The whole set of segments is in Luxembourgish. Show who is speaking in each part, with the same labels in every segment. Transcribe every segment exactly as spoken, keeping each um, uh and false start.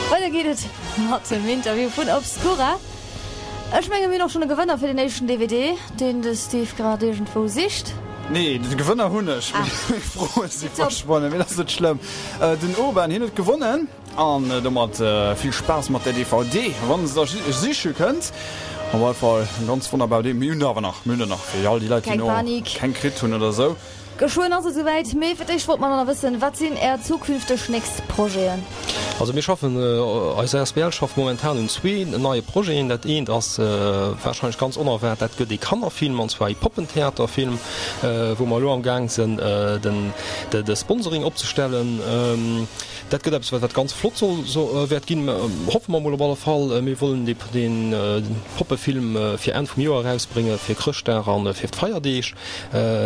Speaker 1: Weider geet et mat dem Interview vun Obscura. Ech menge mir hunn och schonn e Gewënner fir den éischten D V D, deen de Steve grad iergendwou sicht.
Speaker 2: Nee, de Gewënner hunn ech.
Speaker 1: Ah.
Speaker 2: Meng Froe si
Speaker 1: Tipptopp.
Speaker 2: verschwonnen, mee dat ass net schlëmm. Den Urban, hien huet gewonnen an domat vill Spaass mat der D V D, wann se da siche kënnt. Op alle Fall eng ganz wonnerbar D. Mir hunn der awer nach, mir hunn der nach fir all déi Leit, déi
Speaker 1: Keng
Speaker 2: no
Speaker 1: Panik.
Speaker 2: keng kritt hunn oder esou.
Speaker 1: Geschwënn ass et esouwäit, mee fir d'éischt wollt mer nach wëssen, Wat sinn Är zukünfteg nächst Projeten?
Speaker 3: Also mir schaffen, eis asbl schafft momentan un zwee neie Projeten. Dat eent ass warscheinlech ganz onerwaart, dat gëtt ee Kannerfilm, an zwar ee Poppentheaterfilm, wou mer elo am Gaang sinn, den de Sponsoring opzestellen. Dat gëtt eppes, wat ganz flott soll wäert ginn, hoffe mer emol op alle Fall. Mir wëllen dee Poppefilm fir Enn vum Joer erausbréngen, fir Chrëschtdag a fir d'Feierdeeg.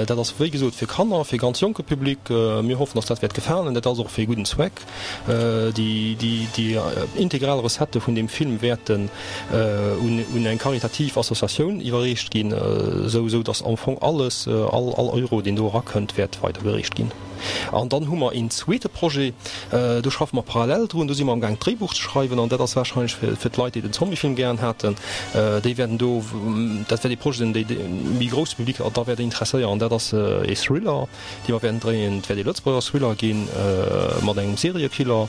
Speaker 3: Dat ass wéi gesot fir Kanner, fir ganz jonke Public. Mir hoffen, dass dat wäert gefalen. Dat ass och fir ee gudden Zweck. Déi integral Recettë vun deem Film wäerten un eng karitativ Associatioun iwwerreecht ginn, esou dass am Fong alles, all Euro, deen do erakënnt, wäert weidergereecht ginn. An dann hu mer een zweete Projet, do schaffe mer parallel drun, do si mer amgaang d'Dréibuch ze schreiwen an dat ass warscheinlech fir d'Leit, déi den Zombiefilm gären haten, déi wäerten do, dat wäert ee Projet sinn, dee méi grousse Public da wäert interesséieren. Dat ass ee Thriller, dee mer wäerten dréien. Et wäert ee Lëtzebuerger Thriller gi mat engem Seriekiller,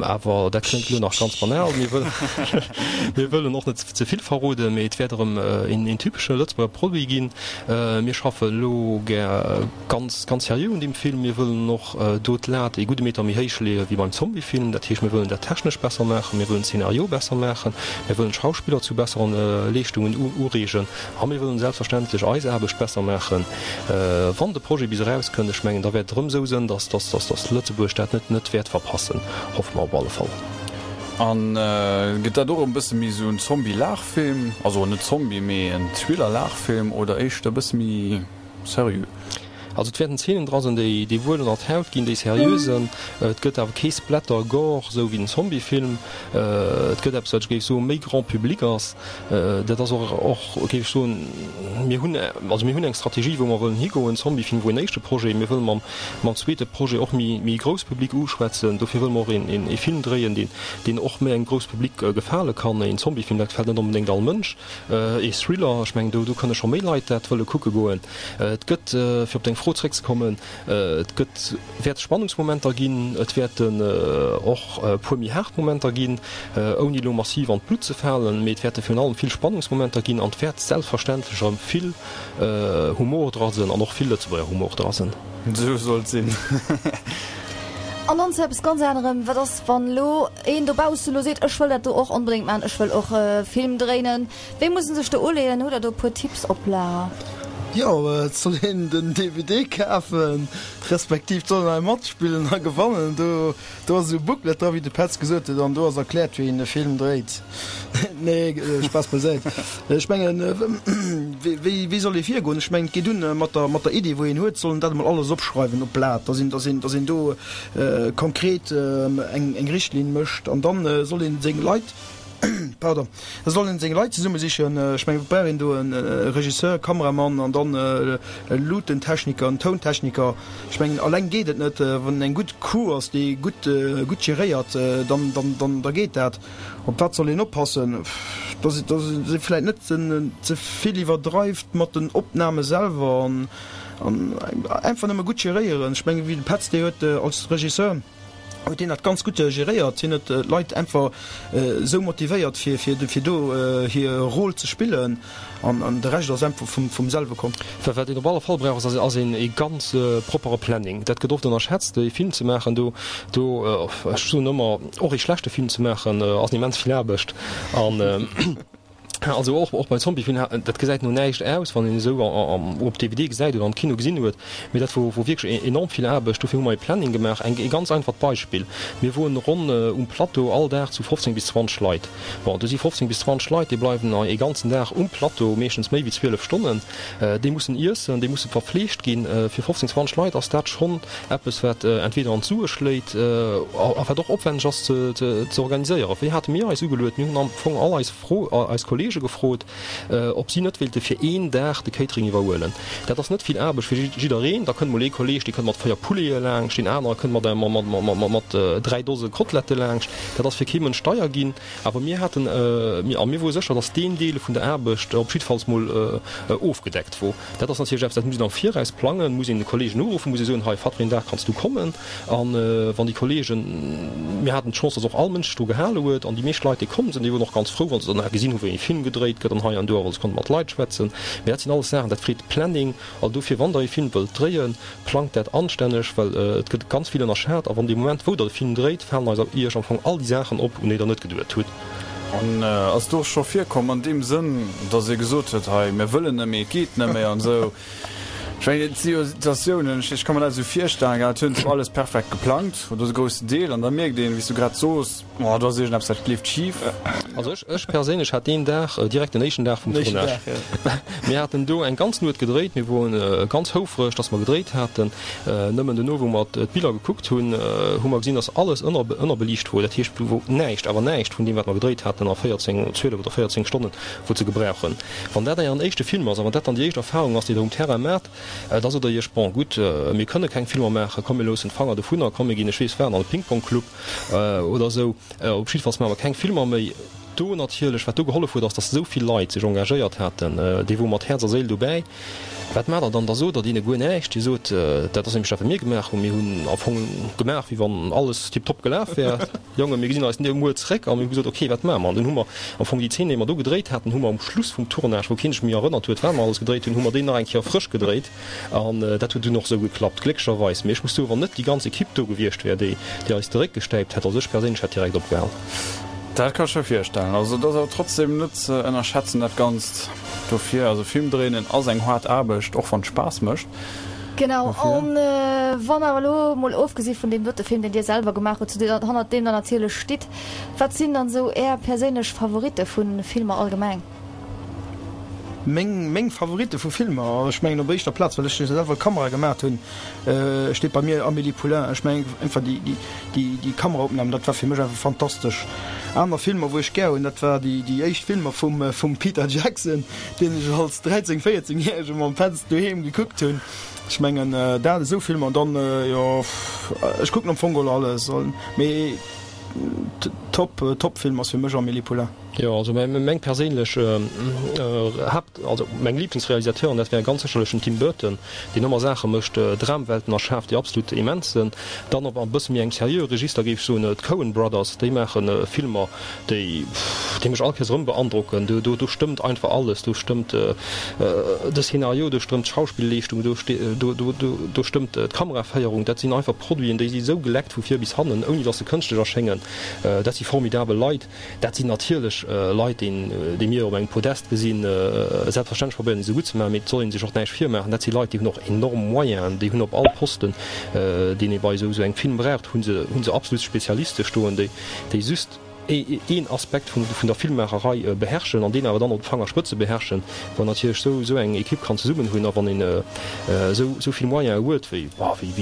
Speaker 3: awer dat kléngt elo nach ganz banal. Mir wëllen, mir wëllen och net ze vill verroden, mee et wäert erëm een typesche Lëtzebuerger Produit ginn. Mir schaffe elo gär ganz, ganz seriö un deem Film. Mir wëllen och do d'Lat ee gudde Meter méi héich leeë wéi beim Zombiefilm. Dat heescht, mir wëllen dat technesch besser maachen, mir wëllen d'Szenario besser maachen, mir wëllen d'Schauspiller zu besseren Leeschtungen ureegen a mir wëllen selbstverständlech eis Aarbecht besser maachen. Wann de Projet bis erauskënnt, ech mengen, da wäert et erëm esou sënn, dass, dass, dass, dass Lëtzebuerg dat net, net wäert verpassen, hoffe mer op alle Fall.
Speaker 2: An gëtt dat och e bësse méi esou en Zombie-Laachfilm, also net Zombie, mee en Thriller-Laachfilm oder éischter e bësse méi seriö?
Speaker 3: Also et wäerten Zeenen dra sinn, déi déi wuel ënner d'Haut ginn, déi seriö sinn. Et gëtt awer kee Splatter, Gore, esou wéi den Zombiefilm. Et gëtt eppes, wat ech géif soen, méi Grand public ass. Dat ass och, och géif ech soen, mir hunn, also mir hunn eng Strategie, wou mer wëllen higoen. Zombiefilm wor een éischte Projet. Mir wëlle mam, mam zweete Projet och méi, méi grouss Public uschwätzen. Dofir wëlle mer och een, een, ee Film dréien, deen, deen och méi engem grouss Public gefale kann. Een Zombiefilm, dat gefält net onbedéngt all Mënsch. Ee Thriller, ech mengen, do, do kënne scho méi Leit dat wëlle kucke goen. Et gëtt, fir op deng Fro zréckzekommen, et gëtt, wäert Spannungsmomenter ginn, et wäerten och e puer méi haart Momenter ginn, ouni elo massiv an d'Blutt ze falen, mee et wäerte virun allem vill Spannungsmomenter ginn an et wäert selbstverständlech erëm vill Humor dra sinn an och vill Lëtzebuerger Humor dra sinn.
Speaker 2: Esou soll et sinn.
Speaker 1: An dann zu eppes ganz anerem, Wat ass, wann elo een dobausse elo seet, ech wëll dat do och onbedéngt maachen, ech wëll och e Film dréinen? Wéi muss en sech do uleeën? Hutt Der do e puer Tipps op Lager?
Speaker 4: Jo, et soll een den D V D kafen, respektiv et soll een hei matspillen a gewannen. Do do ass esou e Booklet dra, wéi de Petz gesot huet, an do ass erkläert, wéi een e Film dréit. Nee, Spaass beisäit. Ech mengen, wéi wéi soll ee virgoen? Ech mengen, et geet un mat der mat der Idee, wou een huet, soll en dat emol alles opschreiwen op Blat, dass een dass een dass een do konkret eng eng Richtlinn mécht an dann soll een seng Leit, Pardon. Da soll en seng Leit zesumme sichen. Ech mengen, et brauch een do e Regisseur, Kameramann an dann e Luutentechniker, en Tountechniker. Ech mengen, alleng geet et net. Wann en eng gutt Crew ass, déi gutt, gutt geréiert, dann, dann, dann, da geet dat. Op wat soll een oppassen? Dass, dass ee vläit net ze vill iwwerdreift mat den Opname selwer an, an einfach nëmme gutt geréieren. Ech mengen, wéi de Petz, dee huet als Regisseur, huet hien dat ganz gutt geréiert. Hien huet d'Leit einfach esou motivéiert fir fir do hir Rôle ze spillen an de Rescht ass einfach vum vum selwe komm.
Speaker 3: Wat een op alle Fall brauch ass ass een ee ganz proppere Planning. Dat gëtt oft ënnerschätzt, ee Film ze maachen do do ech soen ëmmer och ee schlechte Film ze maachen ass immens vill Aarbecht an Also och och bei Zombiefilm, dat gesäit no näischt aus, wann een esou op D V D gesäit oder am Kino gesinn huet, mee dat wor wor wierklech enorm vill Aarbecht. Dofir hu mer ee Planning gemaach. Eng ee ganz einfacht Beispill, Mir woen ronn um Plateau all Dag zu fofzéng bis zwanzeg Leit. Bon, do si fofzéng bis zwanzeg Leit, déi bleiwen ee ganzen Dag um Plateau, meeschtens méi wéi zwielef Stonnen. Déi mussen iessen, déi musse verfleegt ginn. Fir fofzéng, zwanzeg Leit ass dat schonn eppes, wat entweder an d'Sue schléit a wat och opwänneg ass ze ze organiséieren. Wéi hate mir eis ugeluet? Mir hunn am Fong all eis Fro, eis Kollegen, Kolleege gefrot, ob si net wéilte fir een Dag de Catering iwwerhuelen. Dat ass net vill Aarbecht fir jiddereen. Da kënnt mol ee Kolleeg, dee kënnt mat véier Poulete laangscht, deen anere kënnt mat mat dräi Dose Kotelette laangscht. Dat ass fir kee Mënsch deier ginn. Awer mir haten, a mir wore sécher, datt deen Deel vun der Aarbecht op jiddefalls mol ofgedeckt wor. Dat ass natierlech eppes, dat muss een am Viraus plangen, muss een de Kolleegen uruffen, muss ee soen, hei, wat fir een Dag kanns du kommen? A wann déi Kolleegen, mir haten d'Chance, datt och all Mënsch sech dru gehale huet, an déi meescht Leit, déi komm sinn, déi woren och ganz frou, wa se dann nach gesinn hu wéi ee Film gedréit gëtt an hei an do, a wa se konnte mat Leit schwätzen. Mee dat sinn alles Saachen, dat freet Planning. Also dofir, wann Der ee Film wëllt dréien, plangt dat anstänneg, well et gëtt ganz vill ënnerschat. A wann dee Moment, wou Der de Film dréit, falen eis Iech am Fong all déi Saachen op, un déi Der net geduet hutt.
Speaker 2: An ass et och scho virkomm an deem Sënn, datt ee gesot huet, hei, mir wëllen net méi, et geet net méi an esou? Ech mengen, et si jo Situatiounen, ech ka mer dat esou virstellen, gell, et hunn zwar alles perfekt geplangt oder e groussen Deel, an da mierkt een, wéi s du grad soos, oh, do ass iergendeppes, dat leeft schif.
Speaker 3: Also ech, ech perséinlech hat deen Dag, direkt den éischten Dag vum Tournage, mir haten do eng ganz Nuet gedréit, mir woren ganz houfreg, dass mer gedréit haten. Nëmmen duerno, wou mer d'Biller gekuckt hunn, hu mer gesinn, dass alles ënner, ënnerbeliicht wor. Dat heescht, do wor näischt, awer näischt vun deem, wat mer gedréit haten a véierzéng, zwielef oder véierzéng Stonnen, wor ze gebrauchen. Wann dat Ären éischte Film ass a wann dat dann déi éischt Erfahrung ass, déi Der um Terrain maacht, da sot Der Iech, Bon, gutt, mir kënne keng Filmer maachen, komm mir loossen d'Fanger dovunner, komm mir ginn, ech weess wat, an de Ping-Pong-Club oder esou. Op jiddefalls maache mer keng Filmer méi. Do natierlech, wat do gehollef huet, ass, datt esou vill Leit sech engagéiert haten, déi wore mat Häerz a Séil dobäi. Wat maacht Der dann? Da sot Der deene guer näischt. Dir sot, dat ass nämlech dat, wat mir gemaach hunn, mir hunn am Fong gemaach, wéi wann alles tiptop gelaf wär. Jongen, mir gesinn eis muer zréck. A mir hu gesot, ok, wat maache mer? An dunn hu mer am Fong déi Zeen, déi mer do gedréit haten, hu mer um Schluss vum Tournage, wou keen sech méi erënnert huet, wat mer alles gedréit hunn, hu mer déi nach eng Kéier frësch gedréit. An dat huet dunn och esou geklappt, glécklecherweis. Mee ech muss soen, wann net déi ganz Ekipp do gewiescht wär, déi eis de Réck gestäipt hätt, also ech perséinlech hätt direkt opgehal.
Speaker 2: Dat kann ech mer virstellen. Also et ass awer trotzdem net ze ënnerschätzen dat Ganzt. Dofir, also Film dréinen ass eng haart Aarbecht, och wann et Spaass mécht.
Speaker 1: Genau, an wann awer elo mol ofgesi vun deem dote Film, deen Dir selwer gemaach hutt, zu deem hannert deem Der natierlech stitt, wat sinn dann esou Är perséinlech Favoritte vu Filmer allgemeng?
Speaker 4: Meng meng Favoritte vu Filmer, ech mengen op éischter Plaz, well ech selwer Kamera gemaat hunn, steet bei mir Amélie Poulain. Ech mengen einfach déi déi déi Kameraopnamen, dat war fir mech einfach fantastesch. Aner Filmer wou ech gär hunn, dat war déi déi éischt Filmer vum vum Peter Jackson, deen ech als dräizéng véierzéng järege mam Petz doheem gekuckt hunn. Ech mengen dat esou Filmer an dann jo ech kucken am Fong geholl alles, mee Top Top Film ass fir mech Amélie Poulain.
Speaker 3: Jo, also meng perséinlech Haapt, also meng Liblingsrealisateuren, dat wär ganz sécherlech den Tim Burton, deen ëmmer Saache mécht, Dramwelten erschaaft, déi absolut immens sinn. Dann op e bësse méi engem seriöe Register géif ech soen, d'Coen Brothers, déi maache Filmer, déi déi mech all Kéiers erëm beandrocken. Do do stëmmt einfach alles, do stëmmt de Szenario, do stëmmt d'Schauspillleeschtung, do do do stëmmt d'Kameraféierung. Dat sinn einfach Produiten, déi si sou geleckt vu vir bis hannen, ouni datt se kënschtlech erschéngen. Dat si formidabel Leit. Dat sinn natierlech Leit, déi mir op engem Podest gesinn. Selbstverständlech probéieren déi se gutt ze maachen, mee et soll ee sech och näischt virmaachen, dat si Leit, déi hunn och enorm Moyenen, déi hunn op all Posten, deen ee bei esou engem Film braucht, hu se hu se absolut Spezialiste stoen, déi just een Aspekt vun der Filmmaacherei beherrschen an deen awer dann op de Fangerspëtze beherrschen. Wann natierlech esou eng Ekipp kann zesummen hunn a wann een esou vill Moyene huet, wéi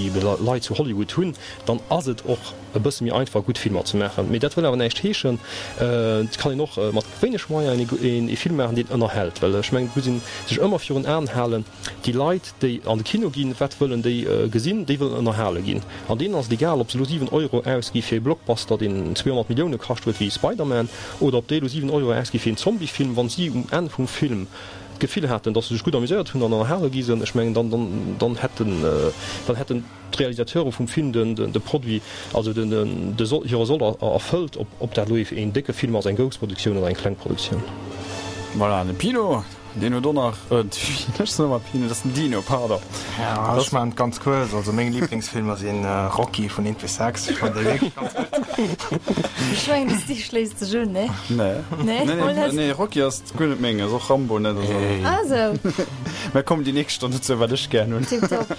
Speaker 3: ebe Leit zu Hollywood hunn, dann ass et och e bësse méi einfach gutt Filmer ze maachen. Mee dat wëll awer näischt heeschen, et kann een och mat wéineg Moyenen ee Film maachen, deen ënnerhält. Well ech mengen, et muss ee sech ëmmer virun Aen halen, déi Leit, déi an de Kino ginn, wat wëllen déi gesinn? Déi wëllen ënnerhale ginn. An deenen ass et egal, ob se elo siwen Euro ausgi fir ee Blockbuster, deen zweehonnert Millioune kascht huet, wéi Spider-Man, oder ob déi elo siwen Euro ausgi fir een Zombiefilm. Wa si um Enn vum Film d'Gefill haten, datt se sech gutt amuséiert hunn an ënnerhale gi sinn, ech mengen, dann, dann hätten, dann hätten d'Realisateure vum Film de Produit, also de Soll, hire Soll erfëllt, ob dat elo een décke Film ass, eng grouss Produktioun oder eng kleng Produktioun.
Speaker 2: Voilà, de Pino, deen huet och nach, ech soen ëmmer Pino, dat ass den Dino, pardon.
Speaker 5: Jo, ech maachen et ganz kuerz, also meng Liblingsfilmer si Rocky vun eent bis sechs, ech fannen déi wierklech ganz gutt.
Speaker 1: Ech mengen, de Steve schléisst sech un, nee?
Speaker 2: Nee, nee, nee, Rocky ass guer net meng, ass och Rambo net.
Speaker 1: Ah sou.
Speaker 2: Mä komm déi nächst Stonn dozou, wat ech gär hunn.
Speaker 1: Tiptop.